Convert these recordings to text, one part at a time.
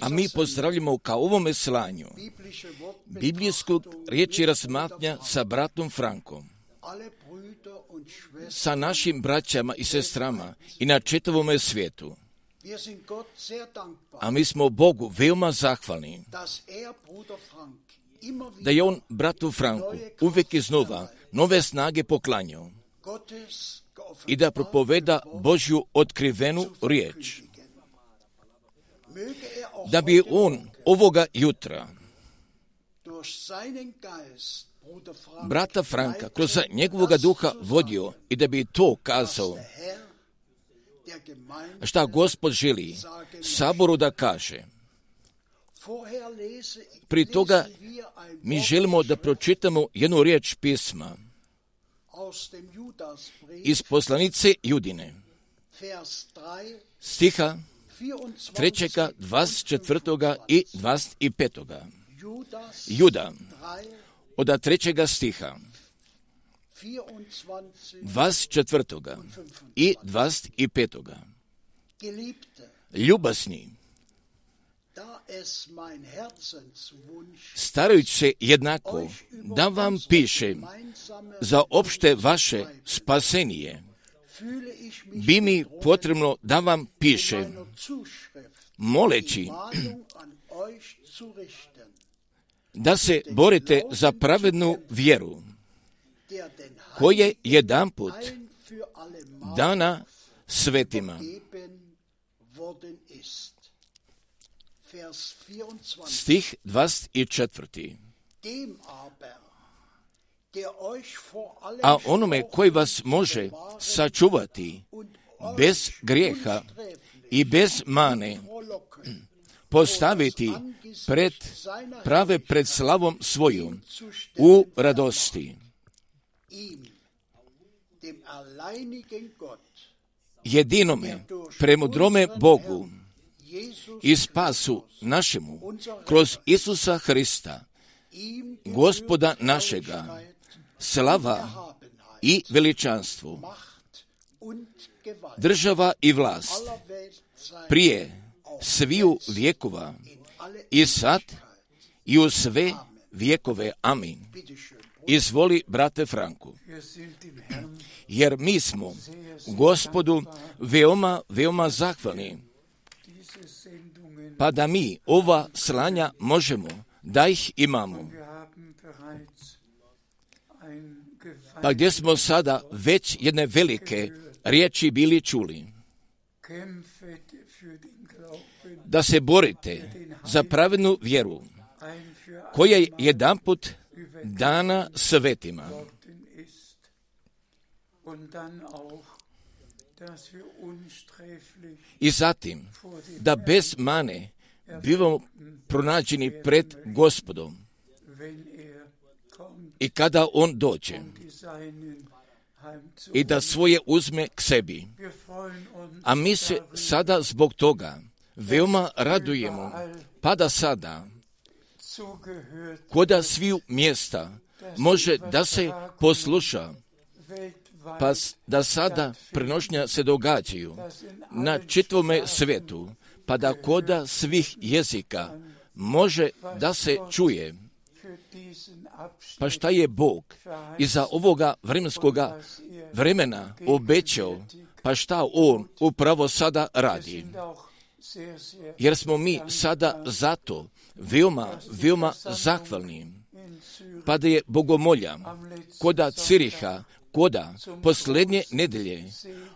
A mi pozdravljamo ka ovome slanju biblijskog riječi razmatranja sa bratom Frankom, sa našim braćama i sestrama i na čitavome svijetu. A mi smo Bogu veoma zahvalni da je on bratu Franku uvijek iznova nove snage poklanjao i da propoveda Božju otkrivenu riječ. Da bi on ovoga jutra brata Franka kroz njegovoga duha vodio i da bi to kazao šta Gospod želi saboru da kaže. Pri toga mi želimo da pročitamo jednu riječ pisma iz poslanice Judine, stiha 3., 24. i 25. Juda, od 3. stiha, 24. i 25. Ljubazni, starajući se jednako da vam piše za opšte vaše spasenije, bi mi potrebno da vam piše, moleći da se borite za pravednu vjeru, koje jedanput dana svetima. Stih 24. A onome koji vas može sačuvati bez grijeha i bez mane, postaviti pred slavom svojom u radosti. Jedinome, premudrome Bogu i spasu našemu kroz Isusa Hrista, Gospoda našega, slava i veličanstvo, država i vlast, prije sviju vjekova i sad i u sve vjekove. Amin. Izvoli, brate Franku. Jer mi smo Gospodu veoma zahvalni, pa da mi ova slanja možemo, da ih imamo. Pa gdje smo sada već jedne velike riječi bili čuli. Da se borite za pravednu vjeru, koja je jedanput dana svetima. I zatim, da bez mane bivamo pronađeni pred Gospodom i kada on dođe i da svoje uzme k sebi. A mi se sada zbog toga veoma radujemo, pa da sada koda sviju mjesta može da se posluša, pa da sada prenošnja se događaju na čitavome svijetu, pa da koda svih jezika može da se čuje. Pa šta je Bog iza ovoga vremenskoga vremena obećao, pa šta on upravo sada radi. Jer smo mi sada zato veoma zahvalni, pa da je bogomolja koda Ciriha, koda posljednje nedelje,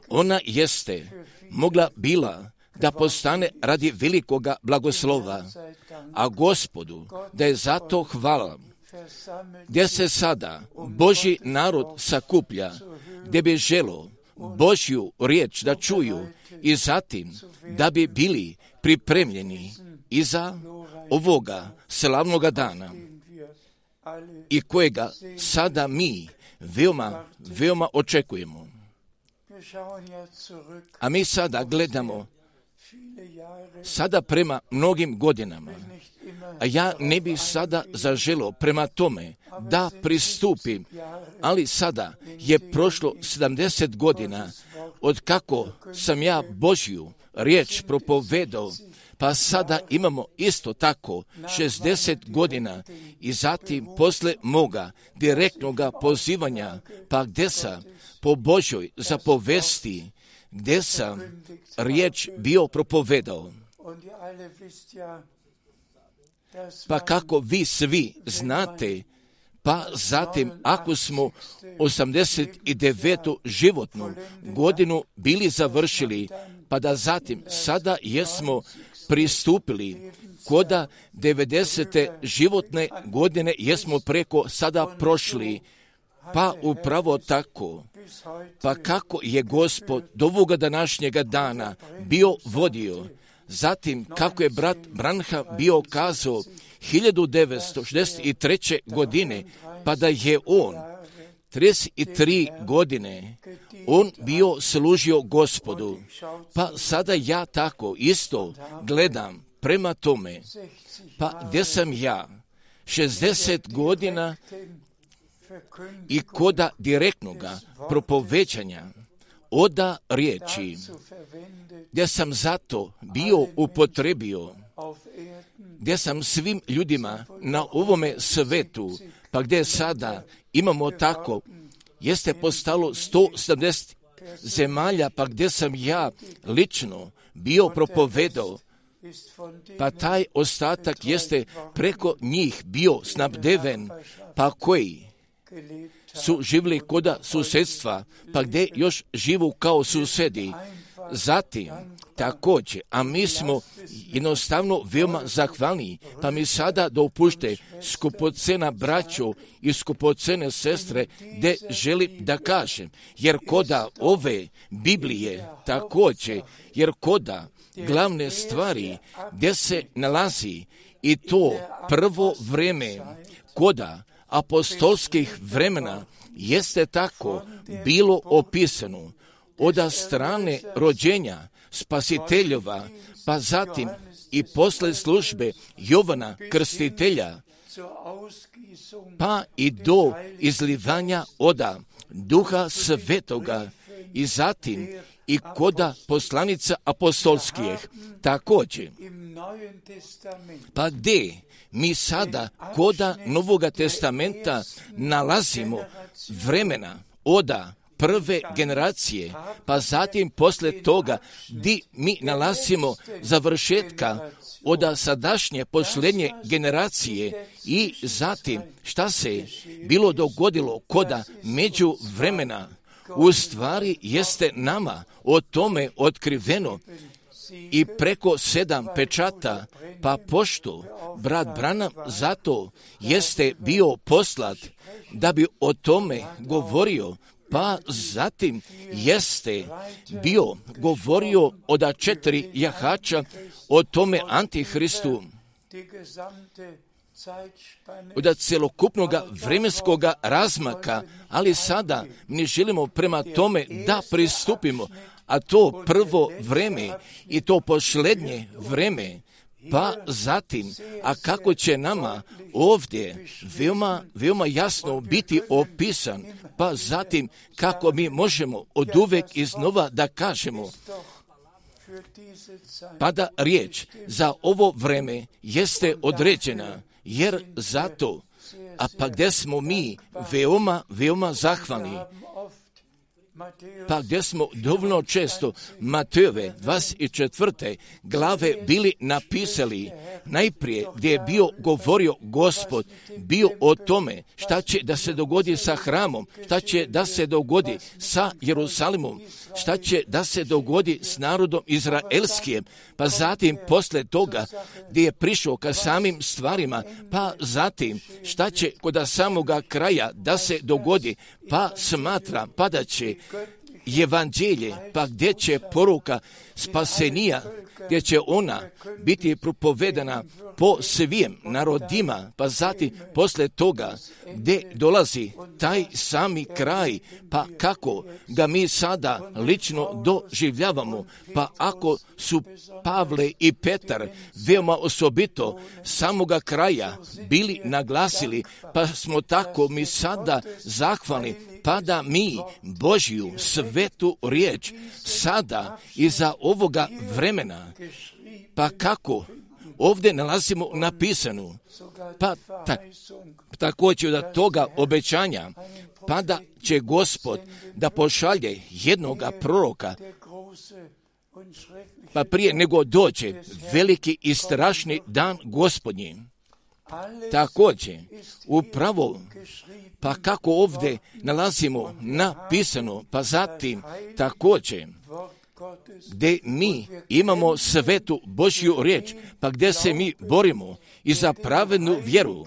ona jeste bila da postane radi velikoga blagoslova, a Gospodu da je zato hvala, gdje se sada Božji narod sakuplja, gdje bi želo Božju riječ da čuju i zatim da bi bili pripremljeni iza ovoga slavnoga dana i kojega sada mi veoma očekujemo. A mi sada gledamo sada prema mnogim godinama, a ja ne bih sada zaželio prema tome da pristupim, ali sada je prošlo 70 godina od kako sam ja Božju riječ propovedao, pa sada imamo isto tako 60 godina i zatim posle moga direktnoga pozivanja, pa gdje sam po Božoj zapovesti, gdje sam riječ bio propovedao. Pa kako vi svi znate, pa zatim ako smo 89. životnu godinu bili završili, pa da zatim sada jesmo pristupili koda 90. životne godine jesmo preko sada prošli, pa upravo tako. Pa kako je Gospod do ovoga današnjega dana bio vodio, zatim kako je brat Branham bio kazao 1963. godine, pa da je on 33 godine on bio služio Gospodu. Pa sada ja tako isto gledam prema tome, pa gdje sam ja 60 godina i koda direktnoga propoveđanja oda riječi, gdje sam zato bio upotrebio, gdje sam svim ljudima na ovome svetu, pa gdje sada imamo tako, jeste postalo 170 zemalja, pa gdje sam ja lično bio propovedao, pa taj ostatak jeste preko njih bio snabdeven, pa koji su živjeli koda susjedstva, pa gdje još živu kao susedi. Zatim, također, a mi smo jednostavno veoma zahvalni, pa mi sada dopušte skupocena braćo i skupocene sestre, gdje želim da kažem, jer koda ove Biblije također, jer koda glavne stvari gdje se nalazi i to prvo vreme koda apostolskih vremena jeste tako bilo opisano od strane rođenja Spasiteljova, pa zatim i posle službe Jovana Krstitelja, pa i do izlivanja oda Duha Svetoga i zatim i koda poslanica apostolskih također. Pa gdje mi sada koda Novoga testamenta nalazimo vremena oda prve generacije, pa zatim posle toga di mi nalazimo završetka od sadašnje posljednje generacije i zatim šta se bilo dogodilo koda među vremena, u stvari jeste nama o tome otkriveno i preko 7 pečata, pa pošto brat Branham zato jeste bio poslat da bi o tome govorio, pa zatim jeste bio govorio od 4 jahača o tome Antihristu, od celokupnog vremenskog razmaka, ali sada mi želimo prema tome da pristupimo, a to prvo vreme i to posljednje vreme, pa zatim, a kako će nama ovdje veoma jasno biti opisan, pa zatim kako mi možemo od uvek iznova da kažemo, pa da riječ za ovo vreme jeste određena, jer zato, a pa gdje smo mi veoma zahvalni, pa gdje smo dovoljno često Matejove 24. glave bili napisali, najprije gdje je bio govorio Gospod, bio o tome šta će da se dogodi sa hramom, šta će da se dogodi sa Jerusalimom, šta će da se dogodi s narodom izraelskim, pa zatim posle toga gdje je prišao ka samim stvarima, pa zatim šta će kod samoga kraja da se dogodi, pa smatra, pa da će evanđelje, pa gdje će poruka spasenija, gdje će ona biti propovedana po svim narodima, pa zatim posle toga gdje dolazi taj sami kraj, pa kako ga mi sada lično doživljavamo, pa ako su Pavle i Petar veoma osobito samoga kraja bili naglasili, pa smo tako mi sada zahvalni, pa da mi Božju svetu riječ sada iza ovoga vremena, pa kako ovdje nalazimo napisanu, pa također da toga obećanja, pa da će Gospod da pošalje jednoga proroka, pa prije nego dođe veliki i strašni dan Gospodnji. Također, upravo, pa kako ovdje nalazimo napisano, pa zatim također, gdje mi imamo svetu Božju riječ, pa gdje se mi borimo i za pravednu vjeru,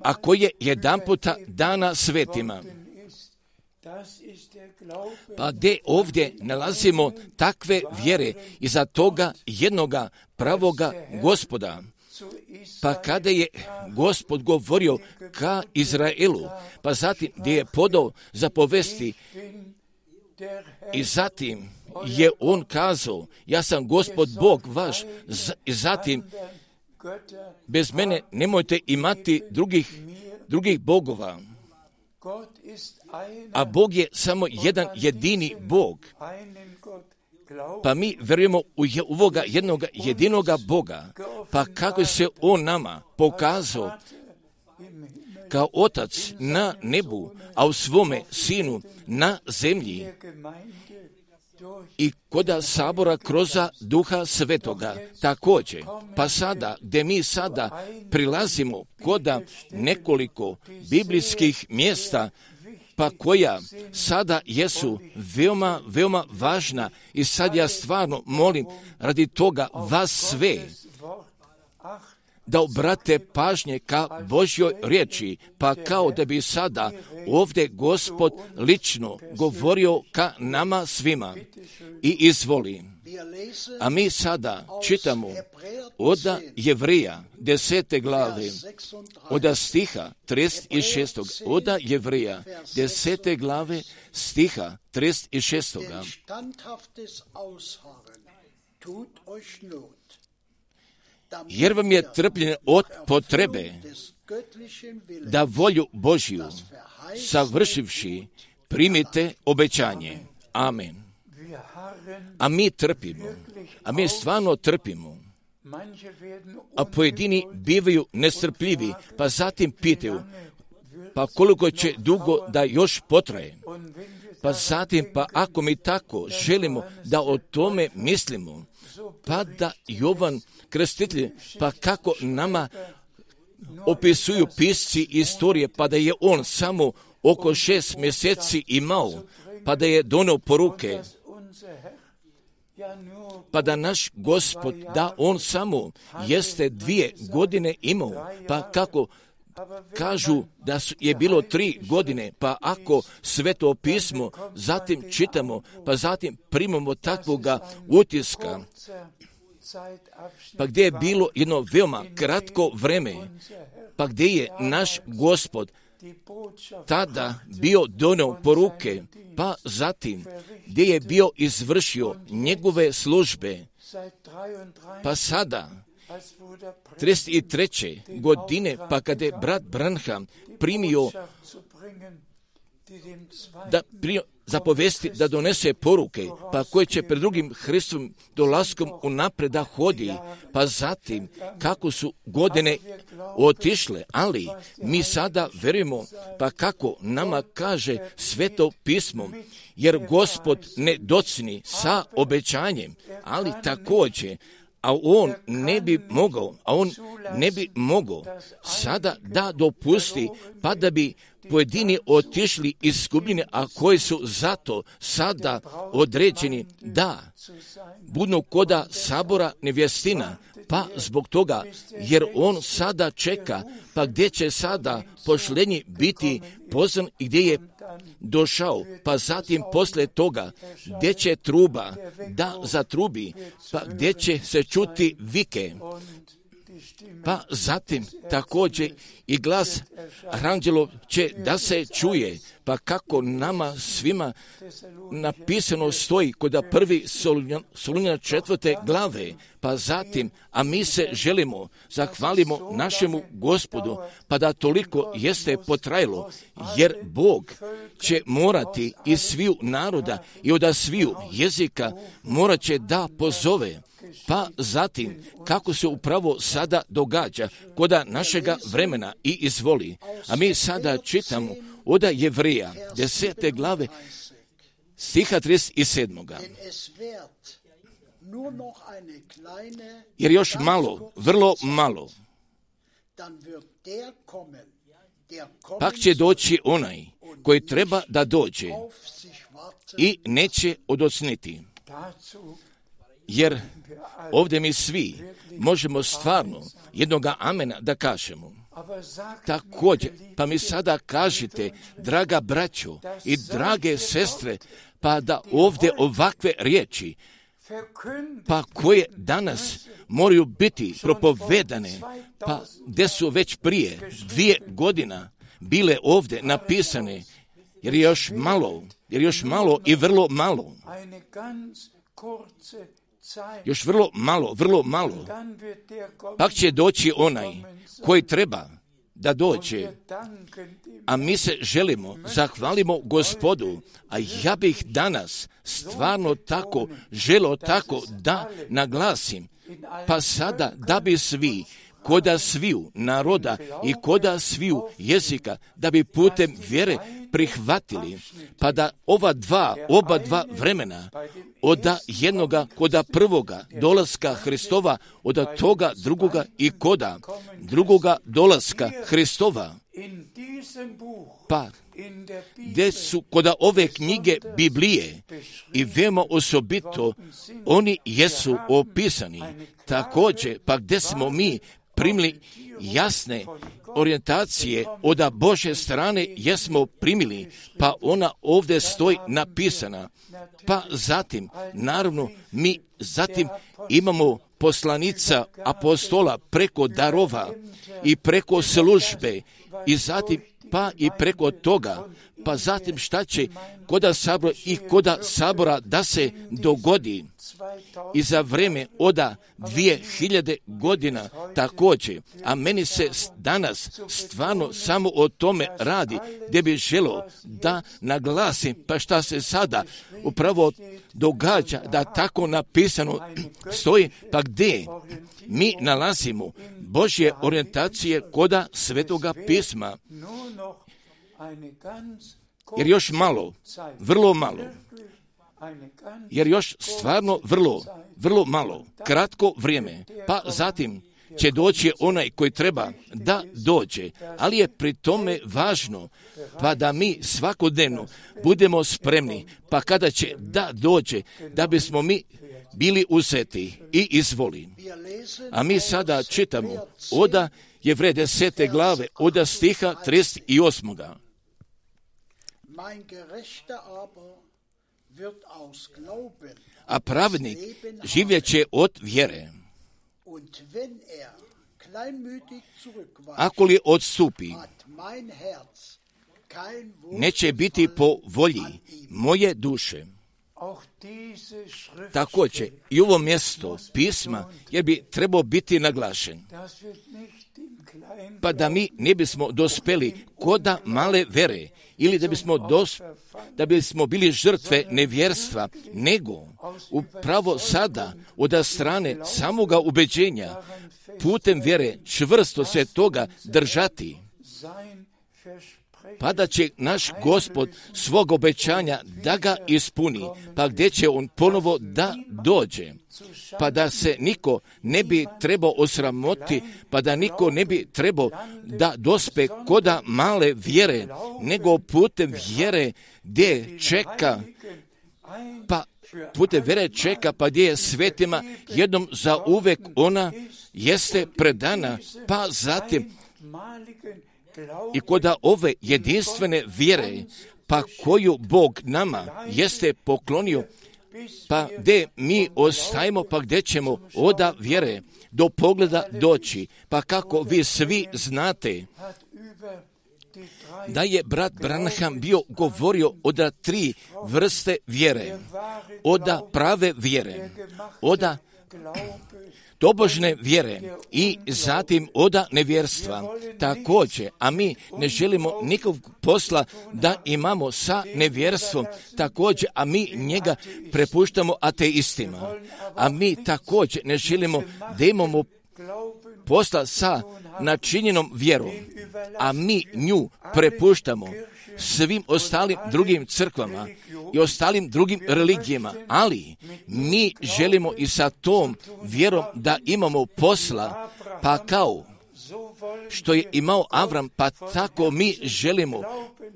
a koje jedanputa dana svetima. Pa gdje ovdje nalazimo takve vjere i za toga jednoga pravoga Gospoda. Pa kada je Gospod govorio ka Izraelu, pa zatim gdje je podao zapovesti i zatim je on kazao, ja sam Gospod Bog vaš, i zatim bez mene nemojte imati drugih bogova. A Bog je samo jedan jedini Bog. Pa mi vjerujemo u ovoga jednoga jedinoga Boga. Pa kako se on nama pokazao kao Otac na nebu, a u svome Sinu na zemlji, i koda sabora kroz Duha Svetoga također. Pa sada, gdje mi sada prilazimo koda nekoliko biblijskih mjesta, pa koja sada jesu veoma, veoma važna, i sad ja stvarno molim radi toga vas sve da obrate pažnje ka Božjoj riječi, pa kao da bi sada ovdje Gospod lično govorio ka nama svima. I izvoli. A mi sada čitamo od Jevrija 10. glave, od stiha 36. Od Jevrija 10. glave stiha 36. Jer vam je trpljenje od potrebe da volju Božju savršivši primite obećanje. Amen. A mi trpimo. A mi stvarno trpimo. A pojedini bivaju nestrpljivi, pa zatim pitaju, pa koliko će dugo da još potraje. Pa zatim, pa ako mi tako želimo da o tome mislimo, pa da Jovan Krstitelj, pa kako nama opisuju pisci istorije, pa da je on samo oko 6 mjeseci imao, pa da je donio poruke, pa da naš Gospod, da on samo jeste 2 godine imao, pa kako kažu da je bilo 3 godine, pa ako Sveto pismo zatim čitamo, pa zatim primamo takvoga utiska, pa gdje je bilo jedno veoma kratko vreme, pa gdje je naš Gospod tada bio donio poruke, pa zatim gdje je bio izvršio njegove službe, pa sada 33. godine, pa kada je brat Branham primio zapovesti da donese poruke, pa koje će pred drugim Hristovim dolaskom unaprijed da hodi, pa zatim kako su godine otišle, ali mi sada verujemo, pa kako nama kaže Sveto pismo, jer Gospod ne docni sa obećanjem, ali također, a on ne bi mogao sada da dopusti, pa da bi pojedini otišli izgubljeni, a koji su zato sada određeni da budu koda sabora nevjestina, pa zbog toga, jer on sada čeka, pa gdje će sada pošlenji biti pozvan i gdje je došao, pa zatim poslije toga gdje će truba da zatrubi, pa gdje će se čuti vike, Pa zatim također i glas aranđelov će da se čuje, pa kako nama svima napisano stoji kod prvi Solunjana 4. glave, pa zatim, a mi se želimo, zahvalimo našemu Gospodu, pa da toliko jeste potrajalo, jer Bog će morati iz sviju naroda i od sviju jezika morat će da pozove. Pa zatim, kako se upravo sada događa koda našega vremena i izvoli. A mi sada čitamo od Jevrija 10. glave stiha 37. Jer još malo, vrlo malo, pak će doći onaj koji treba da dođe i neće odocniti. Jer ovdje mi svi možemo stvarno jednoga amena da kažemo. Također, pa mi sada kažite, draga braćo i drage sestre, pa da ovdje ovakve riječi, pa koje danas moraju biti propovedane, pa gdje su već prije 2 godine bile ovdje napisane, jer je još malo i vrlo malo. Još vrlo malo. Pak će doći onaj koji treba da dođe. A mi se želimo, zahvalimo Gospodu, a ja bih danas stvarno tako želio tako da naglasim, pa sada da bi svi, koda sviju naroda i koda sviju jezika, da bi putem vjere prihvatili, pa da oba dva vremena, od jednoga koda prvoga dolaska Hristova, od toga drugoga i koda drugoga dolaska Hristova, pa gdje su koda ove knjige Biblije i veoma osobito oni jesu opisani, također pa gdje smo mi primili jasne orijentacije od Božje strane jesmo primili, pa ona ovdje stoji napisana. Pa zatim, naravno, mi zatim imamo poslanica apostola preko darova i preko službe i zatim pa i preko toga, pa zatim šta će koda sabora da se dogodi i za vreme od 2000 godina također, a meni se danas stvarno samo o tome radi, gdje bi želio da naglasim, pa šta se sada upravo događa, da tako napisano stoji, pa gdje mi nalazimo Božje orijentacije koda Svetoga pisma. Jer još malo, vrlo malo, jer još stvarno vrlo malo, kratko vrijeme, pa zatim će doći onaj koji treba da dođe, ali je pri tome važno, pa da mi svakodnevno budemo spremni, pa kada će da dođe, da bismo mi bili uzeti i izvoli. A mi sada čitamo od Jevreja 10. glave, od stiha 38. A pravednik živjeće od vjere. Ako li odstupi, neće biti po volji moje duše. Također i ovo mjesto pisma je bi trebao biti naglašen, pa da mi ne bismo dospeli koda male vere ili da bismo bili žrtve nevjerstva, nego upravo sada od strane samoga ubeđenja putem vjere čvrsto se toga držati, pa da će naš Gospod svog obećanja da ga ispuni, pa gdje će on ponovo da dođe, pa da se niko ne bi trebao osramoti, pa da niko ne bi trebao da dospe koda male vjere, nego putem vjere gdje čeka, pa gdje je svetima jednom za uvek ona jeste predana, pa zatim i koda ove jedinstvene vjere, pa koju Bog nama jeste poklonio, pa gdje mi ostajemo, pa gdje ćemo oda vjere, do pogleda doći. Pa kako vi svi znate da je brat Branham bio govorio o da 3 vrste vjere, od prave vjere, od tobožne vjere i zatim od nevjerstva. Također, a mi ne želimo nikog posla da imamo sa nevjerstvom, također, a mi njega prepuštamo ateistima. A mi također ne želimo da imamo posla sa načinjenom vjerom, a mi nju prepuštamo svim ostalim drugim crkvama i ostalim drugim religijama, ali mi želimo i sa tom vjerom da imamo posla, pa kao što je imao Avram, pa tako mi želimo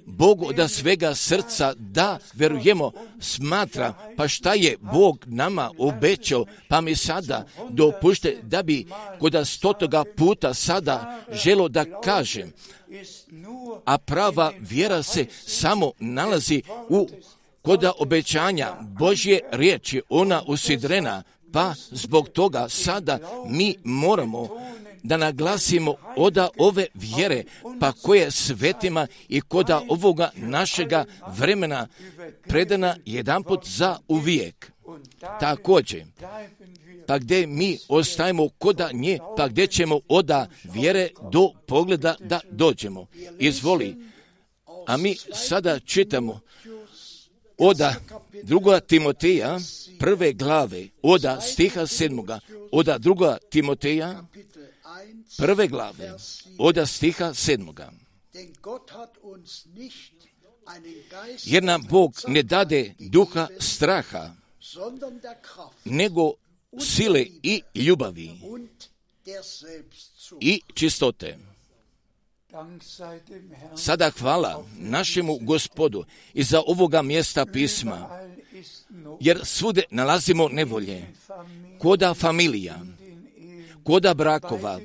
Bogu da svega srca da verujemo, smatra, pa šta je Bog nama obećao, pa mi sada dopušte da bi kod 100. puta sada želo da kažem, a prava vjera se samo nalazi kod obećanja Božje riječi, ona usidrena, pa zbog toga sada mi moramo da naglasimo od ove vjere, pa koje svetima i kod ovoga našega vremena predana jedanput za uvijek. Također, pa gdje mi ostajemo kod nje, pa gdje ćemo od vjere do pogleda da dođemo. Izvoli, a mi sada čitamo od 2. Timoteja, 1. glave, od stiha 7. Od 2. Timoteja, 1. glave, od stiha 7. Jer nam Bog ne dade duha straha, nego sile i ljubavi i čistote. Sada hvala našemu Gospodu i za ovoga mjesta pisma, jer svude nalazimo nevolje, koda familija, koda brakova,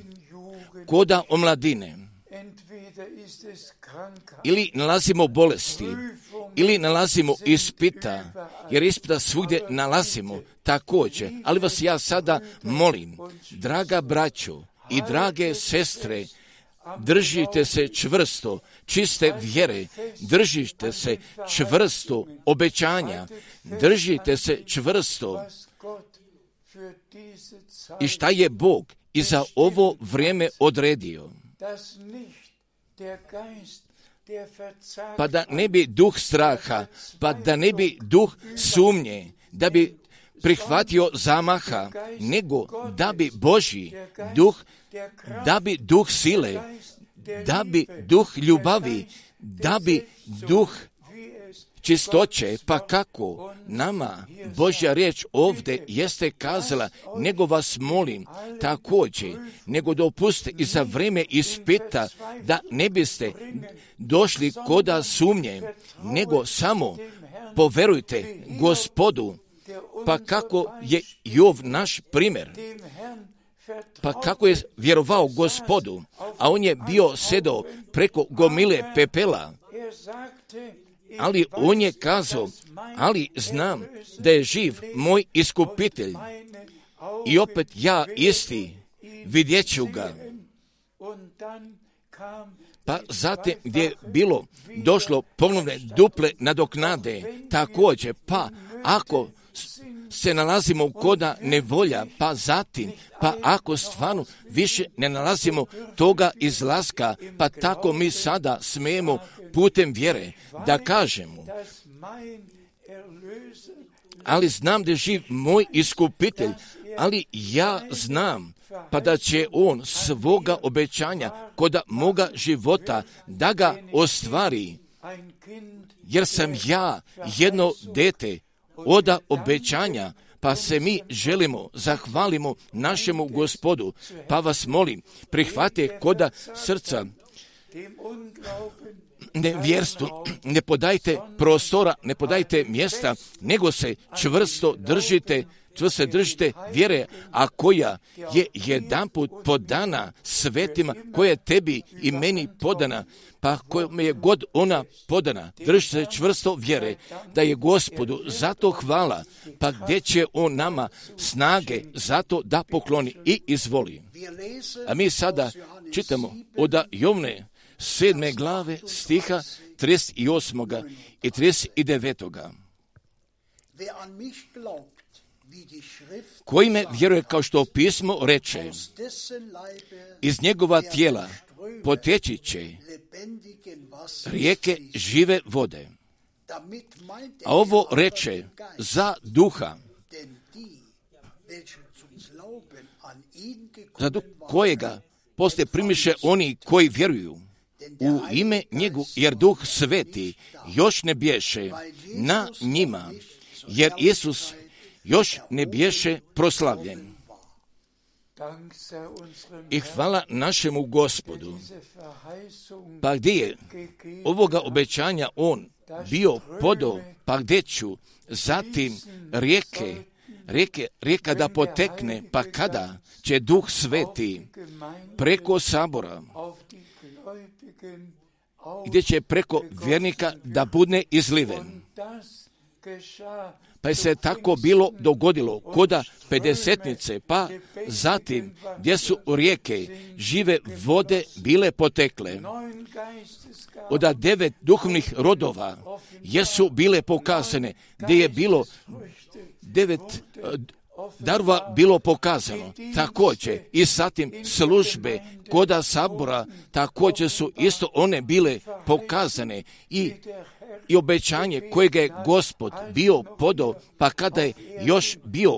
koda omladine, ili nalazimo bolesti, ili nalazimo ispita, jer ispita svugdje nalazimo također. Ali vas ja sada molim, draga braćo i drage sestre, držite se čvrsto čiste vjere, držite se čvrsto obećanja, držite se čvrsto i šta je Bog i za ovo vrijeme odredio. Pa da ne bi duh straha, pa da ne bi duh sumnje, da bi prihvatio zamaha, nego da bi Božji duh, da bi duh sile, da bi duh ljubavi, da bi duh čistoće, pa kako nama Božja riječ ovdje jeste kazala, nego vas molim također, nego dopustite i za vrijeme ispita da ne biste došli koda sumnje, nego samo poverujte Gospodu, pa kako je Jov naš primjer, pa kako je vjerovao Gospodu, a on je bio sedao preko gomile pepela, ali on je kazao, ali znam da je živ moj iskupitelj i opet ja isti vidjet ću ga. Pa zatim gdje je bilo došlo ponovne duple nadoknade, također, pa ako se nalazimo koda nevolja, pa zatim, pa ako stvarno više ne nalazimo toga izlaska, pa tako mi sada smijemo putem vjere da kažemo, ali znam da je živ moj iskupitelj, ali ja znam pa da će on svoga obećanja kod moga života da ga ostvari, jer sam ja jedno dete od obećanja, pa se mi želimo, zahvalimo našemu Gospodu, pa vas molim, prihvate koda srca nevjerstvu, ne podajte prostora, ne podajte mjesta, nego se čvrsto držite čvrsto držite vjere, a koja je jedanput podana svetima, koja je tebi i meni podana, pa kojom je god ona podana. Drži se čvrsto vjere da je Gospodu zato hvala, pa gdje će on nama snage zato da pokloni i izvoli. A mi sada čitamo od Jovne 7. glave stiha 38. i 39. Koji me vjeruje kao što pismo reče, iz njegova tijela poteći će rijeke žive vode. A ovo reče za duha, za duh kojega poslije primiše oni koji vjeruju u ime njegu, jer Duh Sveti još ne bješe na njima, jer Isus još ne bješe proslavljen. I hvala našemu Gospodu. Pa gdje je ovoga obećanja on bio podao, pa gdje ću zatim rijeka da potekne, pa kada će Duh Sveti preko sabora, gdje će preko vjernika da bude izliven. Pa je se tako bilo dogodilo koda pedesetnice, pa zatim gdje su rijeke žive vode bile potekle. Od 9 duhovnih rodova jesu bile pokazane, gdje je bilo 9 darova bilo pokazano. Također i zatim službe koda sabora, također su isto one bile pokazane i obećanje kojeg je Gospod bio podao, pa kada je još bio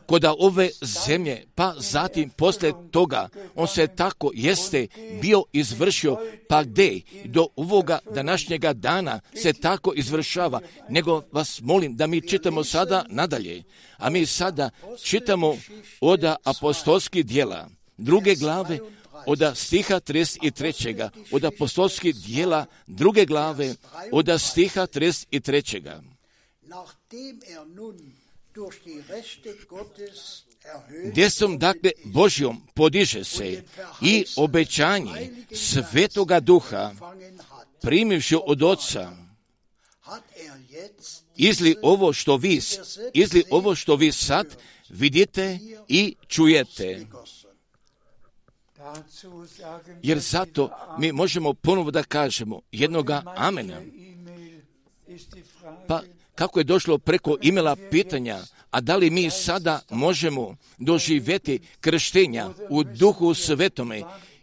koda ove zemlje, pa zatim poslije toga on se tako jeste bio izvršio, pa gdje do ovoga današnjega dana se tako izvršava. Nego vas molim da mi čitamo sada nadalje, a mi sada čitamo od apostolskih djela, 2. glave, od stiha 33. od apostolskih djela 2. glave, od stiha 33. Desnom dakle Božjom podiže se i obećanje Svetoga Duha primivši od Oca, izli ovo što vi sad vidite i čujete. Jer zato mi možemo ponovo da kažemo jednoga amena. Pa kako je došlo preko imela pitanja, a da li mi sada možemo doživjeti krštenja u Duhu Svetome,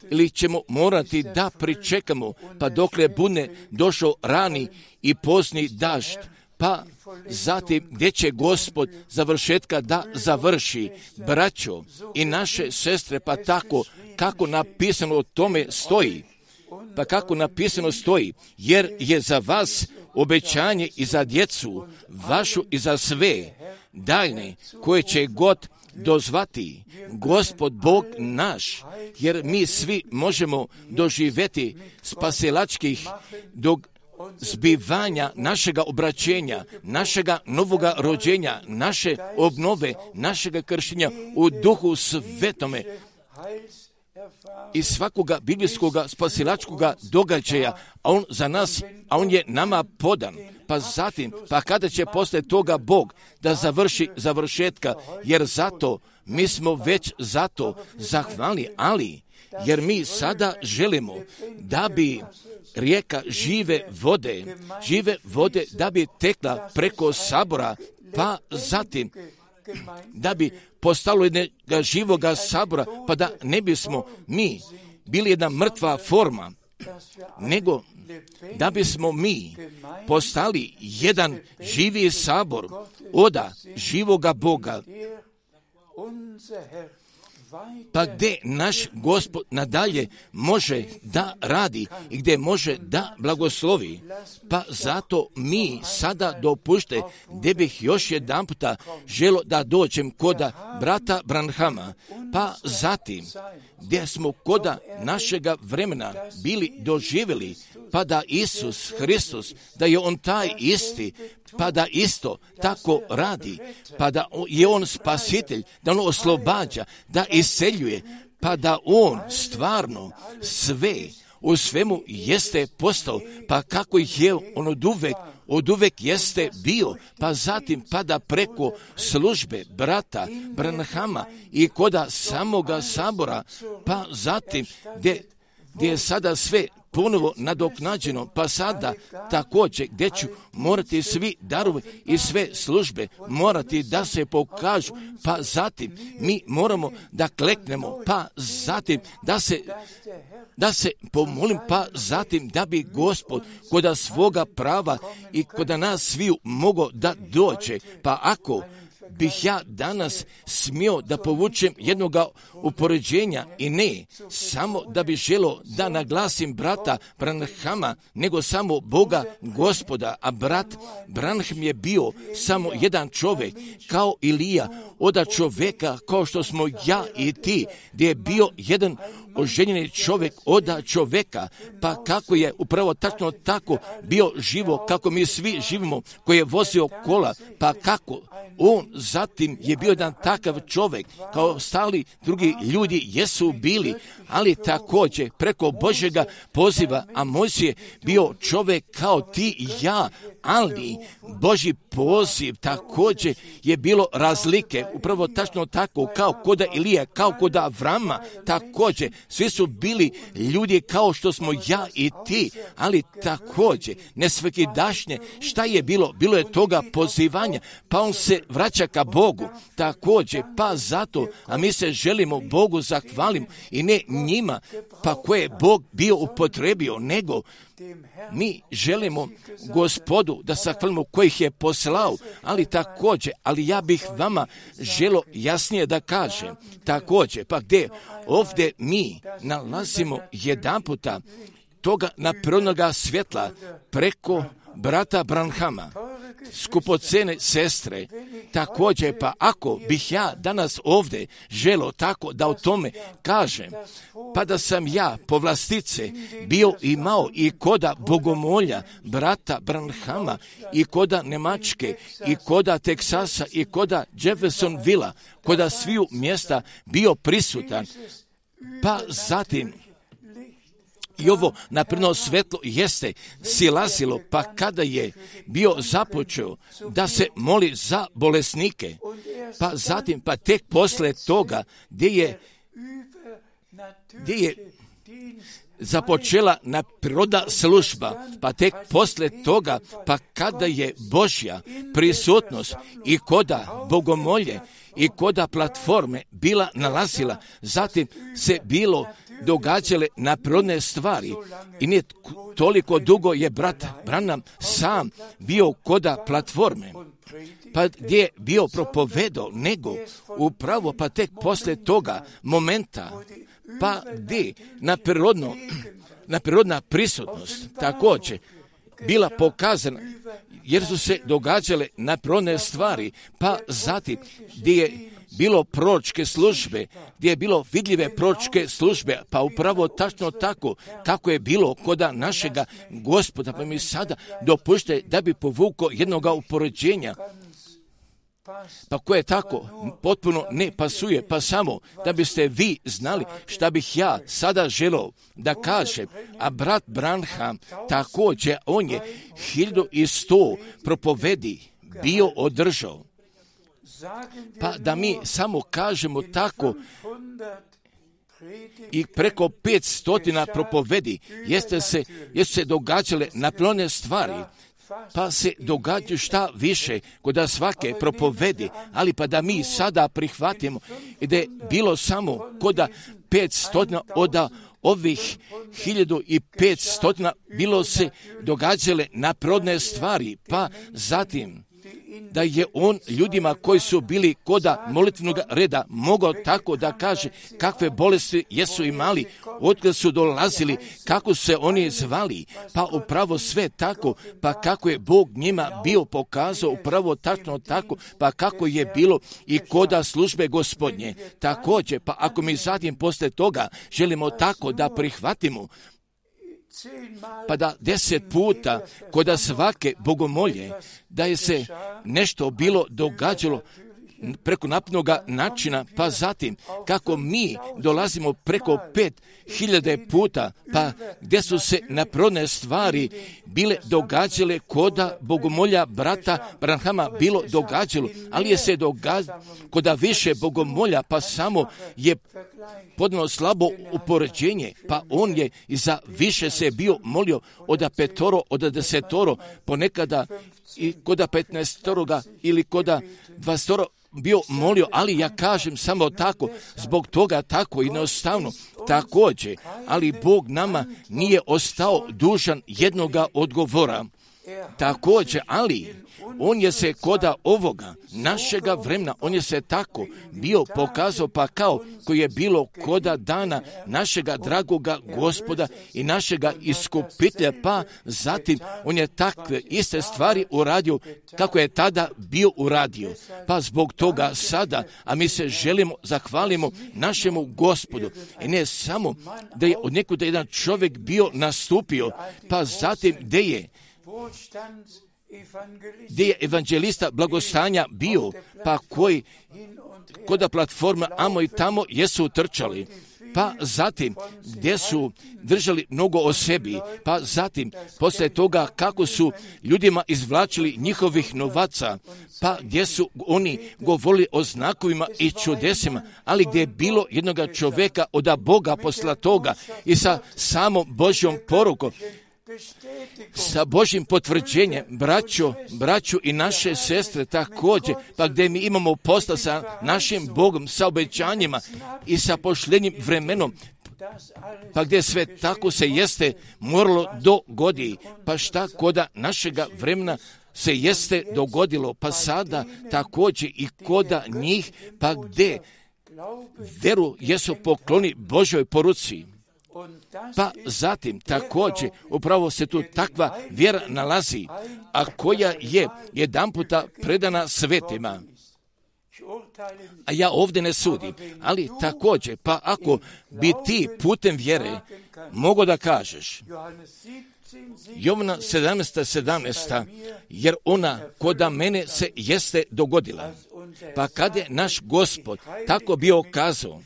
ili ćemo morati da pričekamo pa dokle bude došao rani i pozni dažd, pa zatim gdje će Gospod završetka da završi. Braćo i naše sestre, pa tako kako napisano o tome stoji, pa kako napisano stoji, jer je za vas obećanje i za djecu vašu i za sve daljne koje će God dozvati Gospod Bog naš, jer mi svi možemo doživjeti spasilačkih zbivanja našega obraćenja, našega novoga rođenja, naše obnove, našega krštenja u Duhu Svetome i svakoga biblijskoga spasilačkoga događaja, a on za nas, a on je nama podan. Pa zatim, pa kada će poslije toga Bog da završi završetka, jer zato mi smo već zato zahvalni, ali jer mi sada želimo da bi rijeka žive vode da bi tekla preko sabora, pa zatim da bi postalo jednoga živoga sabora, pa da ne bismo mi bili jedna mrtva forma, nego da bismo mi postali jedan živi sabor od živoga Boga. Pa gdje naš Gospod nadalje može da radi i gdje može da blagoslovi. Pa zato mi sada dopušte, gdje bih još jedan puta želo da dođem kod brata Branhama, pa zatim gdje smo koda našega vremena bili doživjeli, pa da Isus Hristos, da je On taj isti, pa da isto tako radi, pa da je On spasitelj, da On oslobađa, da isceljuje, pa da On stvarno sve u svemu jeste postao, pa kako je On od uvek jeste bio, pa zatim pa da preko službe brata Branhama i koda samoga sabora, pa zatim gdje je sada sve ponovo nadoknađeno, pa sada također gdje ću morati svi darovi i sve službe morati da se pokažu, pa zatim mi moramo da kleknemo, pa zatim da se pomolim, pa zatim da bi Gospod koda svoga prava i koda nas sviju mogao da dođe. Pa ako bih ja danas smio da povučem jednoga upoređenja i ne samo da bi želio da naglasim brata Branhama, nego samo Boga Gospoda, a brat Branham je bio samo jedan čovjek kao Ilija, oda čovjeka kao što smo ja i ti, gdje je bio jedan oženjeni čovjek oda čovjeka, pa kako je upravo tačno tako bio živo, kako mi svi živimo, koji je vozio kola, pa kako on zatim je bio jedan takav čovjek, kao stali drugi ljudi jesu bili, ali također preko Božjega poziva, a Mojsije je bio čovjek kao ti i ja, ali Božji poziv također je bilo razlike, upravo tačno tako kao koda Ilije, kao koda Avrama, također svi su bili ljudi kao što smo ja i ti, ali također nesvakidašnje šta je bilo? Bilo je toga pozivanja, pa on se vraća ka Bogu, također, pa zato, a mi se želimo Bogu zahvalimo i ne njima, pa koje je Bog bio upotrebio, nego mi želimo Gospodu da zahvalimo kojih je poslao, ali također, ali ja bih vama želio jasnije da kažem, također, pa gdje ovdje mi nalazimo jedan puta toga naprirodnoga svjetla preko brata Branhama, skupocene sestre, također, pa ako bih ja danas ovdje želio tako da o tome kažem, pa da sam ja po vlastice bio imao i koda bogomolja brata Branhama i koda Nemačke i koda Teksasa i koda Jeffersonvilla, koda sviju mjesta bio prisutan, pa zatim i ovo napredno svetlo jeste silazilo, pa kada je bio započeo da se moli za bolesnike, pa zatim, pa tek posle toga gdje je započela naprirodna služba, pa tek posle toga, pa kada je Božja prisutnost i koda bogomolje i koda platforme bila nalazila, zatim se bilo događale naprirodne stvari i nije toliko dugo je brat Branham sam bio koda platforme, pa gdje je bio propovedao, nego upravo pa tek posle toga momenta, pa gdje naprirodna prisutnost također bila pokazana, jer su se događale naprirodne stvari, pa zatim gdje je bilo proročke službe, gdje je bilo vidljive proročke službe, pa upravo tačno tako kako je bilo koda našega Gospoda, pa mi sada dopušte da bi povukao jednoga upoređenja, pa koje tako potpuno ne pasuje, pa samo da biste vi znali šta bih ja sada želio da kažem, a brat Branham također, on je 1100 propovedi bio održao. Pa da mi samo kažemo tako i preko 500 propovedi jeste se događale naprirodne stvari, pa se događaju šta više kod svake propovedi, ali pa da mi sada prihvatimo i da je bilo samo kod 500 od ovih 1500 bilo se događale naprirodne stvari, pa zatim da je on ljudima koji su bili koda molitvenog reda mogao tako da kaže kakve bolesti jesu imali, otkada su dolazili, kako se oni zvali, pa upravo sve tako, pa kako je Bog njima bio pokazao upravo tačno tako, pa kako je bilo i koda službe Gospodnje. Također, pa ako mi zatim posle toga želimo tako da prihvatimo, pa da 10 puta koda svake bogomolje, da je se nešto bilo događalo preko napnoga načina, pa zatim kako mi dolazimo preko 5000 puta, pa gdje su se naprodne stvari bile događale koda bogomolja brata Branhama bilo događalo, ali je se događalo koda više bogomolja, pa samo je podno slabo upoređenje, pa on je i za više se bio molio od 5, od 10, ponekada i koda 15 ili koda 20 bio molio, ali ja kažem samo tako, zbog toga tako jednostavno također, ali Bog nama nije ostao dužan jednoga odgovora. Također, ali on je se koda ovoga našega vremena, on je se tako bio pokazao, pa kao koji je bilo koda dana našega dragoga Gospoda i našega iskupitelja, pa zatim on je takve iste stvari uradio kako je tada bio uradio. Pa zbog toga sada, a mi se želimo, zahvalimo našemu Gospodu. I ne samo da je od nekuda jedan čovjek bio nastupio, pa zatim gdje je evanđelista blagostanja bio, pa koji koda platforma amo i tamo jesu trčali, pa zatim gdje su držali mnogo o sebi, pa zatim poslije toga kako su ljudima izvlačili njihovih novaca, pa gdje su oni govorili o znakovima i čudesima, ali gdje je bilo jednoga čovjeka od Boga posla toga i sa samom Božjom porukom, sa Božjim potvrđenjem, braću i naše sestre također, pa gdje mi imamo posla sa našim Bogom, sa obećanjima i sa pošljenim vremenom, pa gdje sve tako se jeste moralo dogodi, pa šta koda našega vremena se jeste dogodilo, pa sada također i koda njih, pa gdje veru jesu pokloni Božoj poruci. Pa zatim također upravo se tu takva vjera nalazi, a koja je jedanputa predana svetima. A ja ovdje ne sudim, ali također, pa ako bi ti putem vjere mogo da kažeš, Jovana 17:17, jer ona koda mene se jeste dogodila, pa kad je naš Gospod tako bio kazao,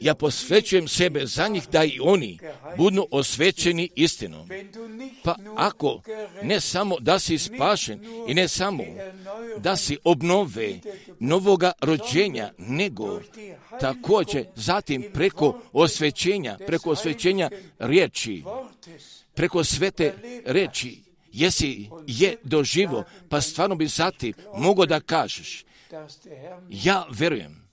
ja posvećujem sebe za njih da i oni budu osvećeni istinom. Pa ako ne samo da si spašen i ne samo da si obnove novoga rođenja, nego također zatim preko osvećenja riječi, preko svete riječi, je doživo, pa stvarno bi zatim mogo da kažeš, ja verujem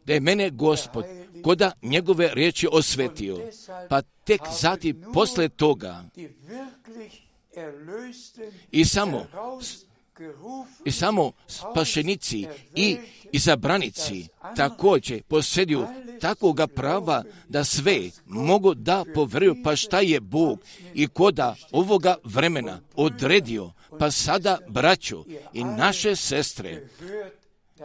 da je mene Gospod koda njegove riječi osvetio, pa tek zatim posle toga i samo spašenici i izabranici također posjeduju takvoga prava da sve mogu da poveruju, pa šta je Bog i koda ovoga vremena odredio, pa sada braćo i naše sestre,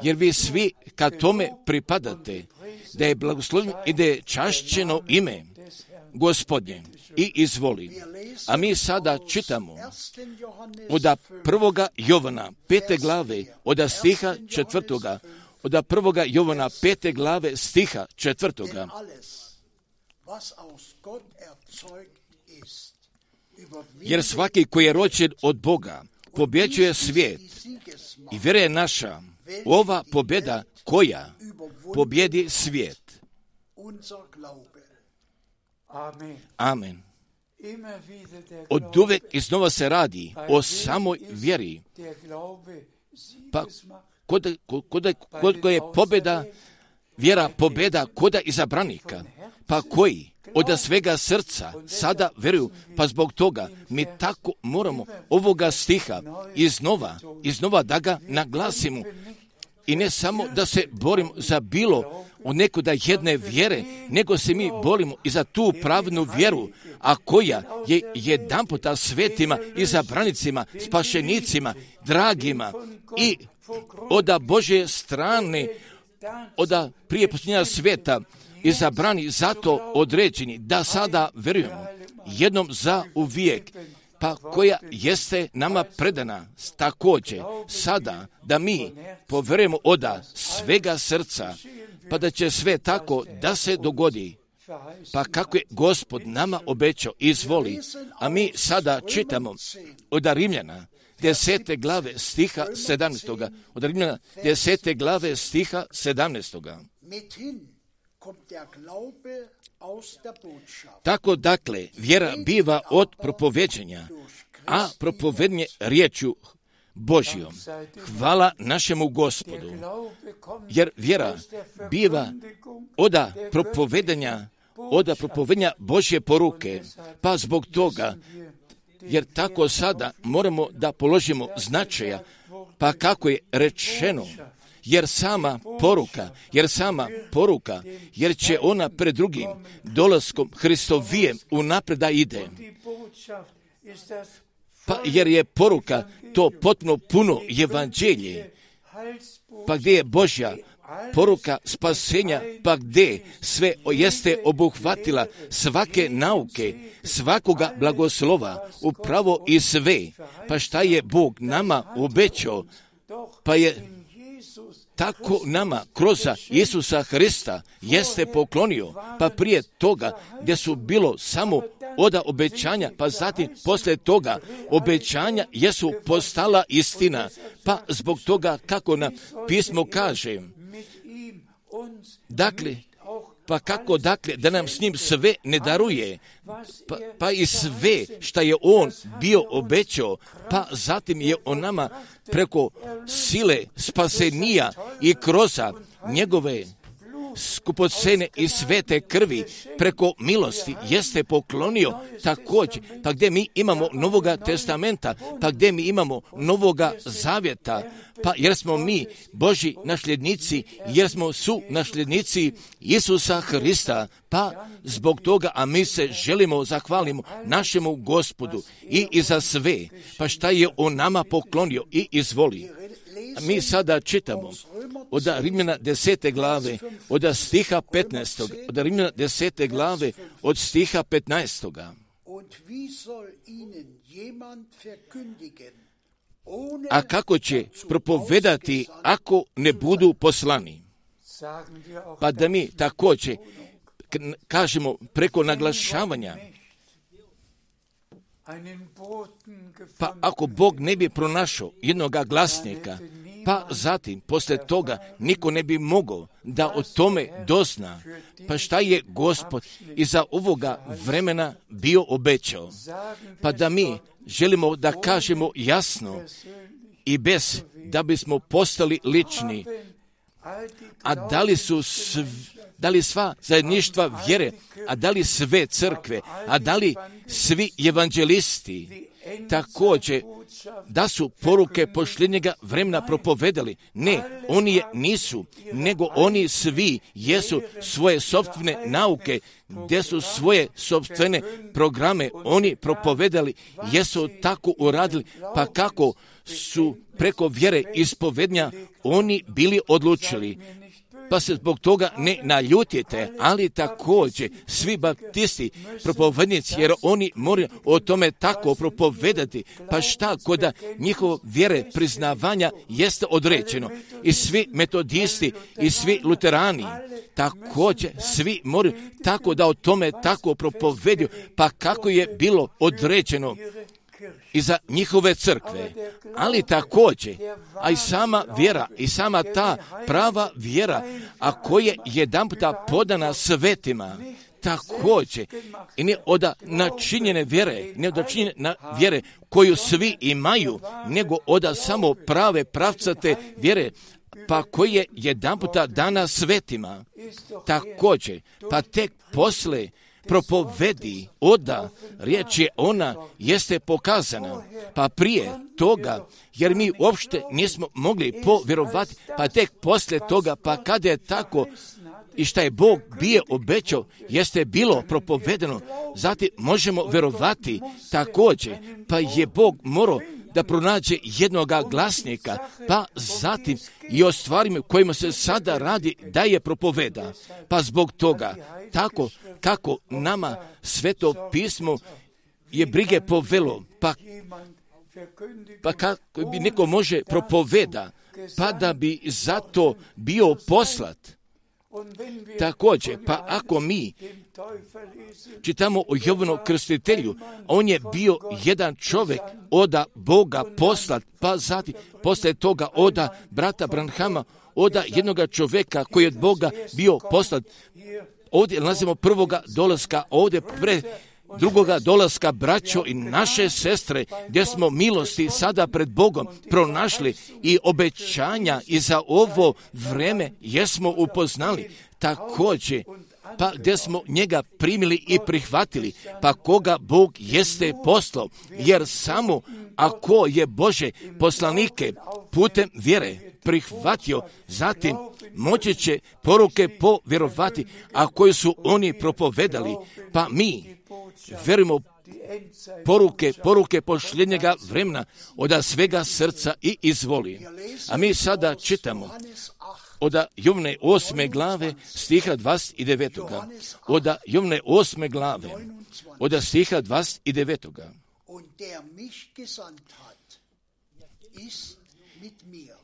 jer vi svi kad tome pripadate, da je blagoslovljeno i da je čašćeno ime Gospodnje i izvoli. A mi sada čitamo od 1. Jovana 5. glave, od stiha 4. Od 1. Jovana 5. glave stiha 4. Jer svaki koji je rođen od Boga pobjeđuje svijet i vjera je naša ova pobjeda koja pobjedi svijet. Amen. Od uvek iznova se radi o samoj vjeri. Pa kod je pobjeda vjera pobjeda koda izabranika, pa koji od svega srca sada vjeruju, pa zbog toga mi tako moramo ovoga stiha iznova da ga naglasimo. I ne samo da se borimo za bilo od nekuda jedne vjere, nego se mi borimo i za tu pravnu vjeru, a koja je jedanputa svetima, izabranicima, spašenicima, dragima i od Božje strane, od prije posljednja sveta, izabrani zato određeni, da sada vjerujemo jednom za uvijek, pa koja jeste nama predana također sada da mi povjerujemo od svega srca, pa da će sve tako da se dogodi, pa kako je Gospod nama obećao, izvoli. A mi sada čitamo od Rimljana 10. glave stiha 17. Od Rimljana 10. glave stiha 17. Tako dakle, vjera biva od propoveđenja, a propovednje riječju Božjom. Hvala našemu Gospodu, jer vjera biva od propovedanja Božje poruke, pa zbog toga, jer tako sada moramo da položimo značaja, pa kako je rečeno, jer sama poruka, jer će ona pred drugim dolaskom Hristovijem unaprijed da ide. Pa jer je poruka to potpuno puno evanđelje, pa gdje je Božja poruka spasenja, pa gdje sve jeste obuhvatila svake nauke, svakoga blagoslova, upravo i sve, pa šta je Bog nama obećao, pa je tako nama kroz Isusa Hrista jeste poklonio, pa prije toga gdje su bilo samo od obećanja, pa zatim poslije toga obećanja jesu postala istina, pa zbog toga kako nam pismo kaže, dakle, pa kako dakle da nam s njim sve ne daruje, pa i sve što je on bio obećao, pa zatim je on nama preko sile spasenija i kroz njegove skupocene i svete krvi preko milosti jeste poklonio također, pa gdje mi imamo Novoga testamenta, pa gdje mi imamo Novoga zavjeta, pa jer smo mi Božji nasljednici, jer smo su nasljednici Isusa Hrista, pa zbog toga, a mi se želimo zahvalimo našemu Gospodu i za sve, pa šta je on nama poklonio i izvoli. Mi sada čitamo od Rimljana 10. glave, od stiha 15. Od Rimljana 10. glave, od stiha 15. A kako će propovedati ako ne budu poslani? Pa da mi također kažemo preko naglašavanja, pa ako Bog ne bi pronašao jednoga glasnika, pa zatim poslije toga niko ne bi mogao da o tome dozna, pa šta je Gospod iza ovoga vremena bio obećao, pa da mi želimo da kažemo jasno i bez da bismo postali lični, a da li sva zajedništva vjere, a da li sve crkve, a da li svi evanđelisti također da su poruke posljednjega vremena propovedali? Ne, oni je nisu, nego oni svi jesu svoje sopstvene nauke, gdje su svoje sopstvene programe oni propovedali, jesu tako uradili, pa kako su preko vjere ispovednja oni bili odlučili. Pa se zbog toga ne naljutite, ali također svi baptisti, propovednici, jer oni moraju o tome tako propovedati, pa šta kod njihove vjere priznavanja jeste određeno. I svi metodisti i svi luterani, također svi moraju tako da o tome tako propovedu, pa kako je bilo određeno i za njihove crkve, ali također, a i sama vjera, i sama ta prava vjera, a koja je jedanputa podana svetima, također, i ne od načinjene vjere, ne od načinjene vjere koju svi imaju, nego od samo prave pravcate vjere, pa koji je jedanputa dana svetima, također, pa tek posle propovedi oda riječ je ona jeste pokazana, pa prije toga, jer mi uopšte nismo mogli povjerovati, pa tek poslije toga, pa kada je tako i šta je Bog bio obećao, jeste bilo propovedeno, zatim možemo vjerovati također, pa je Bog morao da pronađe jednoga glasnika, pa zatim i o stvarima kojima se sada radi da je propoveda. Pa zbog toga, tako kako nama Sveto pismo je brige povelo, pa kako bi neko može propoveda, pa da bi zato bio poslat. Također, pa ako mi čitamo o Jovanu Krstitelju, on je bio jedan čovjek oda Boga poslat, pa zatim poslije toga oda brata Branhama, oda jednoga čovjeka koji je od Boga bio poslat. Ovdje nalazimo prvoga dolaska, ovdje pre drugoga dolaska, braćo i naše sestre, gdje smo milosti sada pred Bogom pronašli i obećanja i za ovo vreme jesmo upoznali također, pa gdje smo njega primili i prihvatili, pa koga Bog jeste poslao, jer samo ako je Bože poslanike putem vjere prihvatio, zatim moći će poruke povjerovati, a koje su oni propovedali, pa mi vjerujemo poruke posljednjega vremena od svega srca i izvoli. A mi sada čitamo od Jovne 8. glave stiha 29. Od Jovne 8. glave od stiha 29.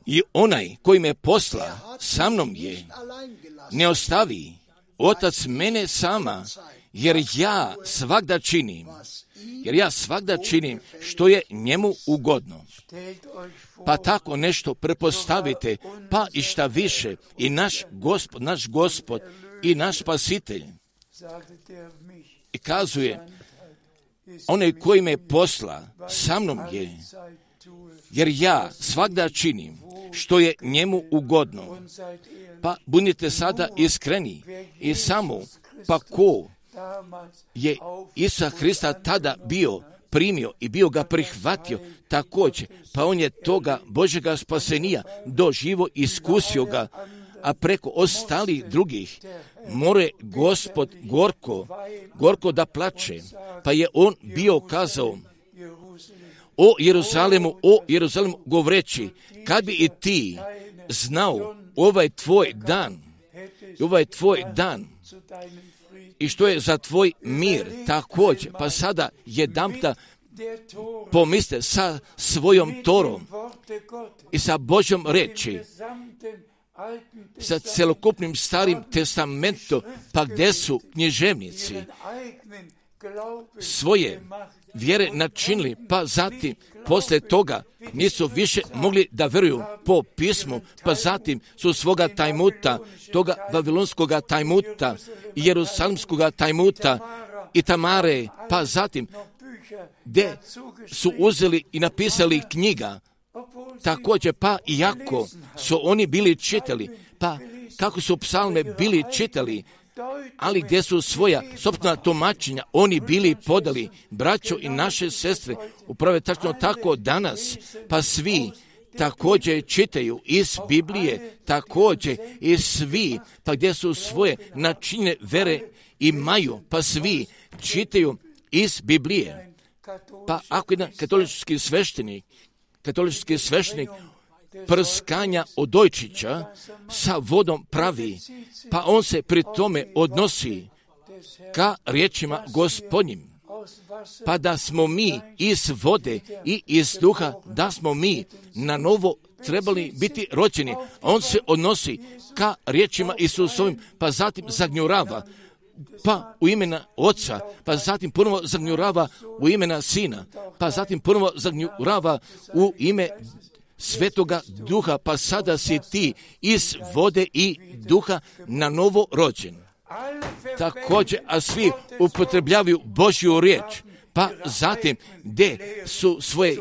I onaj koji me posla sa mnom je, ne ostavi Otac mene sama, jer ja svagda činim što je njemu ugodno. Pa tako nešto prepostavite, pa i šta više, i naš Gospod i naš Spasitelj. I kazuje, onaj koji me posla sa mnom je, jer ja svagda činim što je njemu ugodno. Pa budite sada iskreni i samo, pa ko je Isusa Hrista tada bio primio i bio ga prihvatio također, pa on je toga Božjega spasenija doživo, iskusio ga, a preko ostalih drugih more Gospod gorko da plače, pa je on bio kazao o Jeruzalemu govoreći, kad bi i ti znao ovaj tvoj dan i što je za tvoj mir također, pa sada jedanputa pomisle sa svojom Torom i sa Božjom reči, sa celokupnim starim testamentom, pa gdje su književnici svoje vjere načinili, pa zatim poslije toga nisu više mogli da vjeruju po pismu, pa zatim su svoga tajmuta, toga vavilonskoga tajmuta, jerusalimskoga tajmuta i Tamare, pa zatim gdje su uzeli i napisali knjiga, također pa iako su oni bili čitali, pa kako su psalme bili čitali, ali gdje su svoja sopstvena tumačenja oni bili podali, braćo i naše sestre, upravo tačno tako danas, pa svi također čitaju iz Biblije, također i svi, pa gdje su svoje načine vere imaju, pa svi čitaju iz Biblije. Pa ako jedan katolički sveštenik prskanja odojčića sa vodom pravi, pa on se pri tome odnosi ka riječima Gospodnjim, pa da smo mi iz vode i iz duha, da smo mi na novo trebali biti rođeni. On se odnosi ka riječima Isusovim, pa zatim zagnjurava, pa u imena Oca, pa zatim ponovo zagnjurava u imena Sina, pa zatim ponovo zagnjurava u ime Svetoga Duha, pa sada si ti iz vode i duha na novo rođen. Također, a svi upotrebljavaju Božju riječ, pa zatim gdje su svoje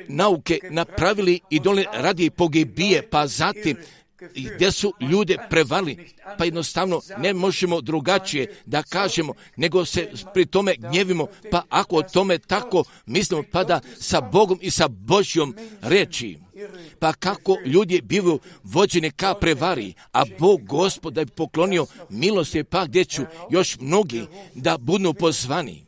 nauke napravili i dole radi pogibije, pa zatim gdje su ljude prevarili, pa jednostavno ne možemo drugačije da kažemo, nego se pri tome gnjevimo, pa ako o tome tako mislimo, pa da sa Bogom i sa Božjom reči, pa kako ljudi bivaju vođeni ka prevari, a Bog Gospod da bi poklonio milosti, pa gdje ću još mnogi da budu pozvani.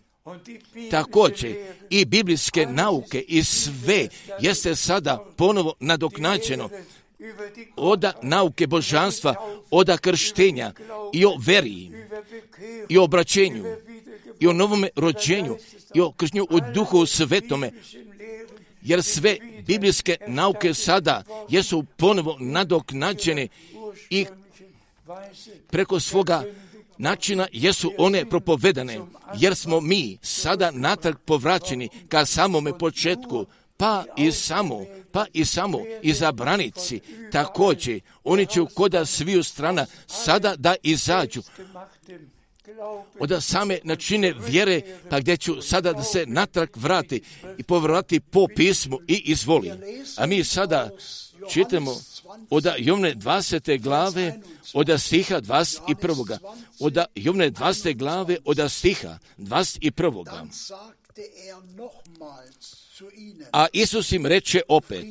Također i biblijske nauke i sve jeste sada ponovo nadoknađeno od nauke božanstva, od krštenja i o veri i o obraćenju i o novome rođenju i o krštenju u Duhu Svetome, jer sve biblijske nauke sada jesu ponovo nadoknađene i preko svoga načina jesu one propovedane, jer smo mi sada natrag povraćeni ka samome početku, pa i samo izabranici. Također, oni će koda sviju strana sada da izađu od same načine vjere, pa gdje ću sada da se natrag vrati i povrati po pismu i izvoli. A mi sada čitamo od Jovne 20. glave od stiha 21. Od Jovne 20. glave od stiha 21. A Isus im reče opet: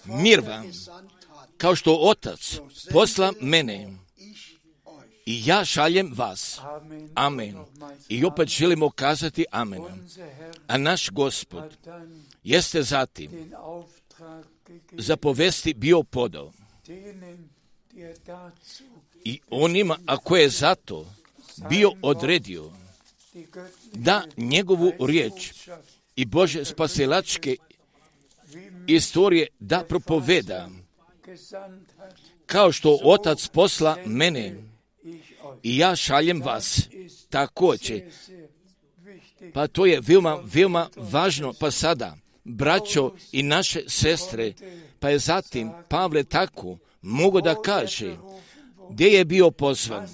mir vam, kao što Otac posla mene, i ja šaljem vas. Amen. I opet želimo kazati amen. A naš Gospod jeste zatim zapovesti bio podao i onima, a koje je zato bio odredio da njegovu riječ i Bože spasilačke istorije da propoveda, kao što Otac posla mene i ja šaljem vas. Također, pa to je veoma važno, pa sada, braćo i naše sestre, pa je zatim Pavle tako mogu da kaže gdje je bio pozvan,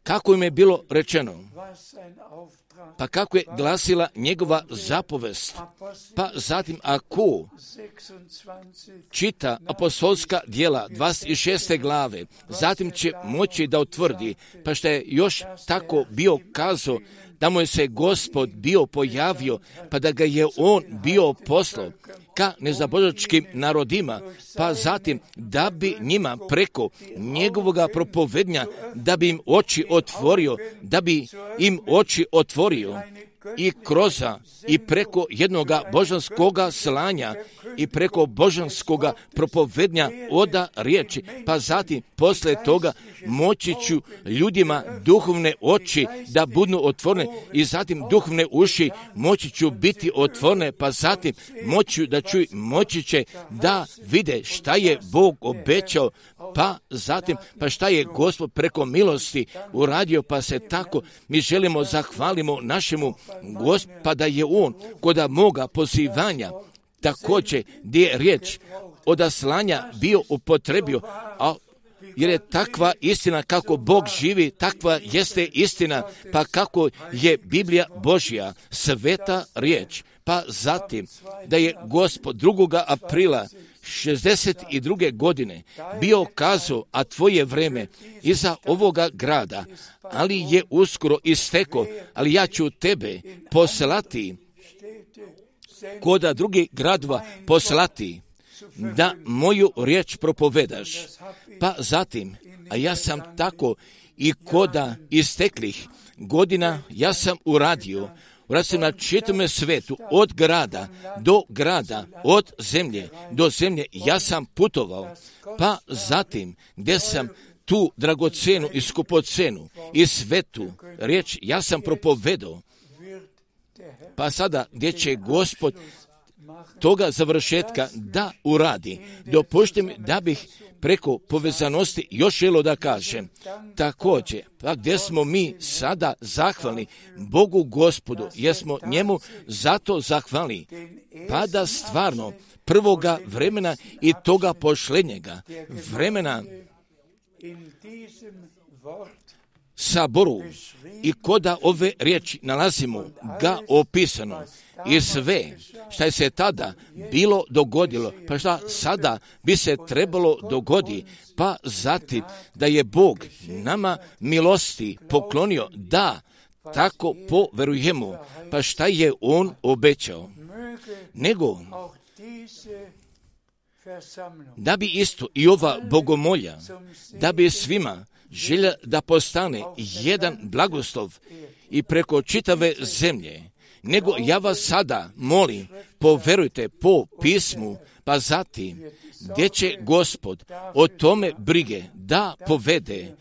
kako im je bilo rečeno, pa kako je glasila njegova zapovest, pa zatim ako čita apostolska djela 26. glave, zatim će moći da utvrdi, pa što je još tako bio kazao, da mu je se Gospod bio pojavio, pa da ga je on bio poslao ka nezabožačkim narodima, pa zatim da bi njima preko njegovoga propovednja, da bi im oči otvorio, i kroza i preko jednoga božanskoga slanja i preko božanskoga propovednja oda riječi, pa zatim posle toga moći ću ljudima duhovne oči da budu otvorene i zatim duhovne uši moći ću biti otvorene, pa zatim moći će da vide šta je Bog obećao, pa zatim pa šta je Gospod preko milosti uradio, pa se tako mi želimo zahvalimo našemu Gospoda je on koda moga pozivanja također gdje je riječ od slanja bio upotrebio, a jer je takva istina kako Bog živi, takva jeste istina, pa kako je Biblija Božja, sveta riječ, pa zatim da je Gospod 2. aprila 62. godine bio kazao, a tvoje vreme iza ovoga grada, ali je uskoro isteko, ali ja ću tebe poslati koda drugih gradova poslati, da moju riječ propovedaš. Pa zatim, a ja sam tako i koda isteklih godina ja sam uradio sam na čitome svetu, od grada do grada, od zemlje do zemlje, ja sam putovao, pa zatim gdje sam tu dragocenu i skupocenu i svetu riječ ja sam propovedao, pa sada gdje će Gospod toga završetka da uradi. Dopustite mi da bih preko povezanosti još želio da kažem. Također, pa gdje smo mi sada zahvalni Bogu Gospodu, jer smo njemu zato zahvalni, pa da stvarno prvoga vremena i toga pošlednjega vremena saboru i koda ove riječi nalazimo ga opisano i sve šta se tada bilo dogodilo, pa šta sada bi se trebalo dogodi, pa zatim da je Bog nama milosti poklonio da tako poverujemo, pa šta je On obećao, nego da bi isto i ova bogomolja, da bi svima želja da postane jedan blagoslov i preko čitave zemlje, nego ja vas sada molim, poverujte po pismu, pa zatim gdje će Gospod o tome brige da povede,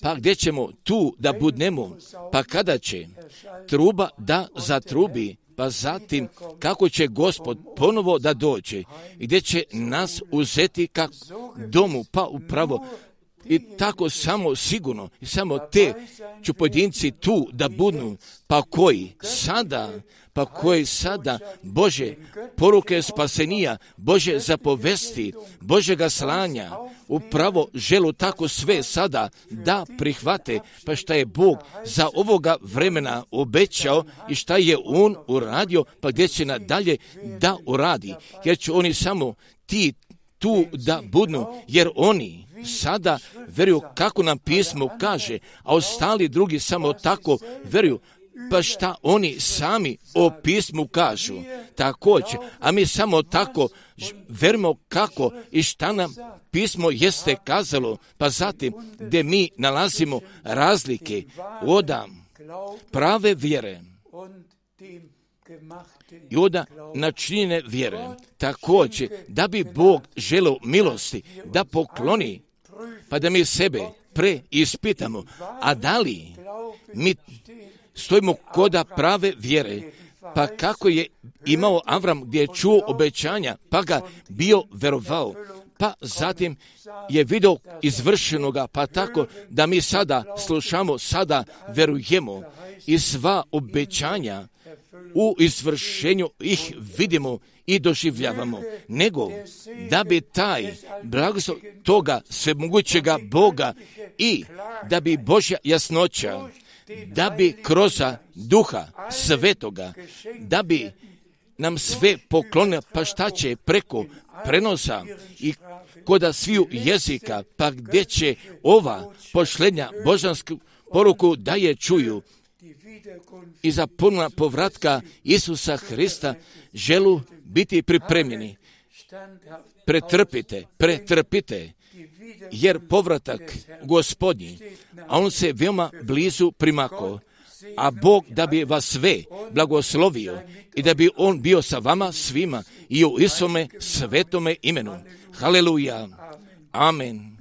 pa gdje ćemo tu da budnemo, pa kada će truba da zatrubi, pa zatim kako će Gospod ponovo da dođe i gdje će nas uzeti kak domu, pa upravo i tako samo sigurno i samo te ću pojedinci tu da budnu, pa koji sada Bože poruke spasenija, Bože zapovesti, Božega slanja, upravo želu tako sve sada da prihvate, pa šta je Bog za ovoga vremena obećao i šta je On uradio, pa gdje će nadalje da uradi, jer će oni samo ti tu da budnu, jer oni sada veruju kako nam pismo kaže, a ostali drugi samo tako veruju, pa šta oni sami o pismu kažu također, a mi samo tako verujemo kako i šta nam pismo jeste kazalo, pa zatim gdje mi nalazimo razlike od prave vjere i od načinjene vjere, također da bi Bog želeo milosti da pokloni, pa da mi sebe preispitamo, a da li mi stojimo koda prave vjere, pa kako je imao Avram gdje je čuo obećanja, pa ga bio verovao, pa zatim je vidio izvršenoga, pa tako da mi sada slušamo, sada verujemo i sva obećanja u izvršenju ih vidimo i doživljavamo, nego da bi taj blagoslov toga svemogućega Boga i da bi Božja jasnoća, da bi kroz Duha Svetoga, da bi nam sve poklonio, pa šta će preko prenosa i koda sviju jezika, pa gdje će ova pošlenja božansku poruku da je čuju i za ponovna povratka Isusa Hrista želu biti pripremljeni. Pretrpite, jer povratak Gospodnji, a on se veoma blizu primako, a Bog da bi vas sve blagoslovio i da bi On bio sa vama svima i u Isome svetome imenu. Haleluja. Amen.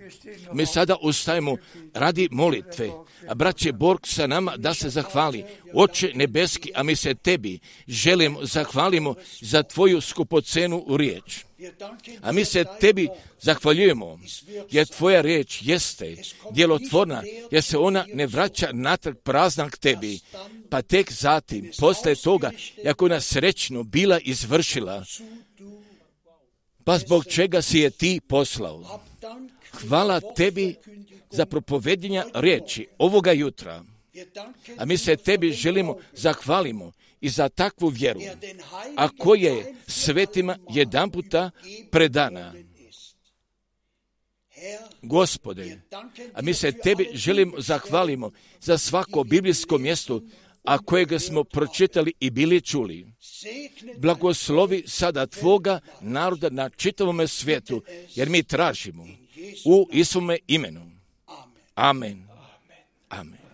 Mi sada ustajemo radi molitve, a braće Borg sa nama da se zahvali. Oče nebeski, a mi se tebi želimo zahvalimo za tvoju skupocenu riječ. A mi se tebi zahvaljujemo, jer tvoja riječ jeste djelotvorna, jer se ona ne vraća natrag prazna k tebi, pa tek zatim, posle toga, jako ona srećno bila izvršila, pa zbog čega si je ti poslao. Hvala tebi za propovedjenja riječi ovoga jutra, a mi se tebi želimo zahvalimo i za takvu vjeru, a koja je svetima jedanputa predana. Gospode, a mi se tebi želimo zahvalimo za svako biblijsko mjesto, a kojega smo pročitali i bili čuli. Blagoslovi sada tvoga naroda na čitavome svijetu, jer mi tražimo u Isome imenu. Amen. Amen.